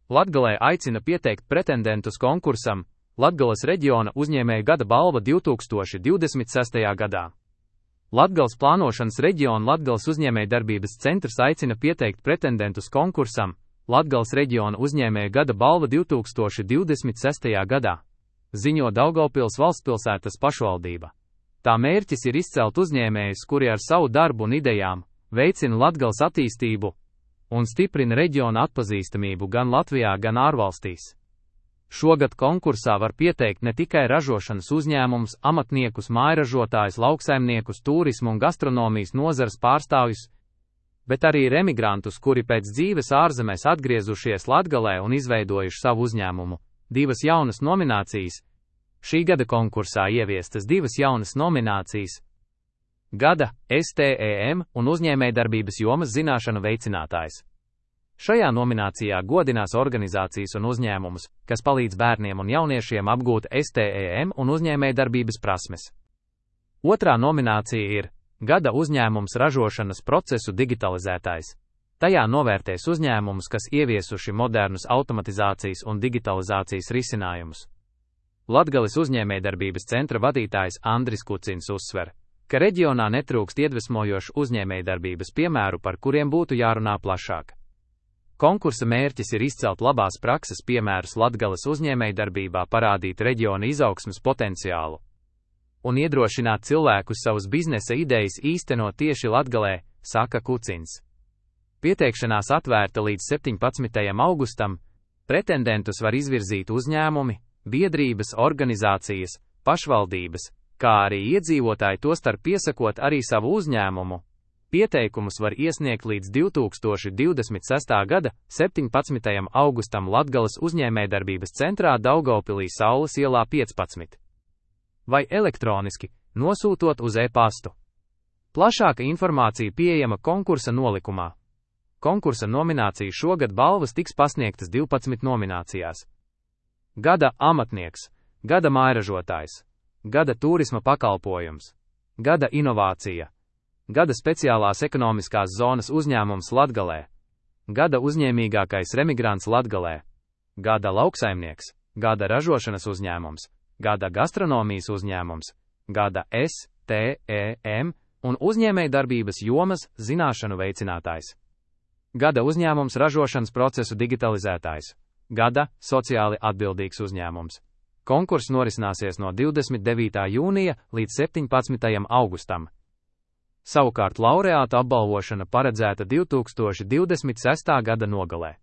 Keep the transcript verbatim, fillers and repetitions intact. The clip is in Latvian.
Latgalē aicina pieteikt pretendentus konkursam Latgales reģiona uzņēmēja gada balva divi tūkstoši divdesmit sestajā gadā. Latgales plānošanas reģiona Latgales uzņēmējdarbības centrs aicina pieteikt pretendentus konkursam Latgales reģiona uzņēmēja gada balva divi tūkstoši divdesmit sestajā gadā, ziņo Daugavpils valstspilsētas pašvaldība. Tā mērķis ir izcelt uzņēmējus, kuri ar savu darbu un idejām veicina Latgales attīstību un stiprina reģiona atpazīstamību gan Latvijā, gan ārvalstīs. Šogad konkursā var pieteikt ne tikai ražošanas uzņēmumus, amatniekus, mājražotājus, lauksaimniekus, turismu un gastronomijas nozares pārstāvjus, bet arī remigrantus, kuri pēc dzīves ārzemēs atgriezušies Latgalē un izveidojuši savu uzņēmumu. Divas jaunas nominācijas. Šī gada konkursā ieviestas divas jaunas nominācijas. Gada S T E M un uzņēmējdarbības jomas zināšanu veicinātājs. Šajā nominācijā godinās organizācijas un uzņēmumus, kas palīdz bērniem un jauniešiem apgūt S T E M un uzņēmējdarbības prasmes. Otrā nominācija ir Gada uzņēmums ražošanas procesu digitalizētājs. Tajā novērtēs uzņēmumus, kas ieviesuši modernus automatizācijas un digitalizācijas risinājumus. Latgales uzņēmējdarbības centra vadītājs Andris Kucins uzsver, ka reģionā netrūkst iedvesmojošu uzņēmējdarbības piemēru, par kuriem būtu jārunā plašāk. Konkursa mērķis ir izcelt labās prakses piemērus Latgales uzņēmējdarbībā, parādīt reģiona izaugsmes potenciālu un iedrošināt cilvēkus savus biznesa idejas īstenot tieši Latgalē, saka Kucins. Pieteikšanās atvērta līdz septiņpadsmitajam augustam, pretendentus var izvirzīt uzņēmumi, biedrības, organizācijas, pašvaldības, kā arī iedzīvotāji, tostarp piesakot arī savu uzņēmumu. Pieteikumus var iesniegt līdz divi tūkstoši divdesmit sestā gada septiņpadsmitajam augustam Latgales uzņēmējdarbības centrā Daugavpilī Saules ielā piecpadsmit. Vai elektroniski, nosūtot uz e-pastu. Plašāka informācija pieejama konkursa nolikumā. Konkursa nomināciju šogad balvas tiks pasniegtas divpadsmit nominācijās. Gada amatnieks, gada mājražotājs, gada turisma pakalpojums, gada inovācija, gada speciālās ekonomiskās zonas uzņēmums Latgalē, gada uzņēmīgākais remigrants Latgalē, gada lauksaimnieks, gada ražošanas uzņēmums, gada gastronomijas uzņēmums, gada S T E M un uzņēmējdarbības jomas zināšanu veicinātājs. Gada uzņēmums ražošanas procesu digitalizētājs, gada sociāli atbildīgs uzņēmums. Konkurss norisināsies no divdesmit devītā jūnija līdz septiņpadsmitajam augustam. Savukārt laureātu apbalvošana paredzēta divi tūkstoši divdesmit sestā gada nogalē.